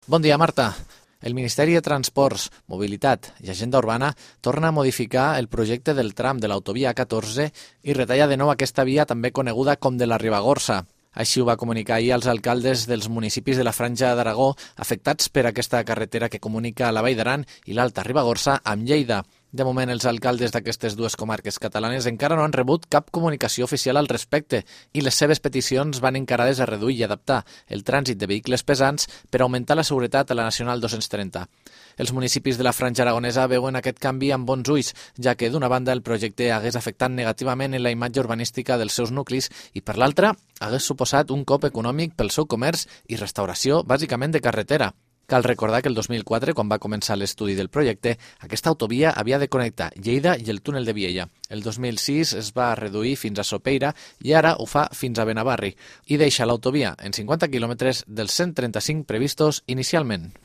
Bon dia, Marta. El Ministeri de Transports, Mobilitat i Agenda Urbana torna a modificar el projecte del tram de l'autovia A14 i retalla de nou aquesta via també coneguda com de la Ribagorça. Així ho va comunicar ahir als alcaldes dels municipis de la Franja d'Aragó afectats per aquesta carretera que comunica la Vall d'Aran i l'Alta Ribagorça amb Lleida. De moment, els alcaldes d'aquestes dues comarques catalanes encara no han rebut cap comunicació oficial al respecte i les seves peticions van encarades a reduir i adaptar el trànsit de vehicles pesants per augmentar la seguretat a la Nacional 230. Els municipis de la Franja Aragonesa veuen aquest canvi amb bons ulls, ja que d'una banda el projecte hagués afectat negativament en la imatge urbanística dels seus nuclis i per l'altra hagués suposat un cop econòmic pel seu comerç i restauració bàsicament de carretera. Cal recordar que el 2004, quan va començar l'estudi del projecte, aquesta autovia havia de connectar Lleida i el túnel de Viella. El 2006 es va reduir fins a Sopeira i ara ho fa fins a Benavarri i deixa l'autovia en 50 quilòmetres dels 135 previstos inicialment.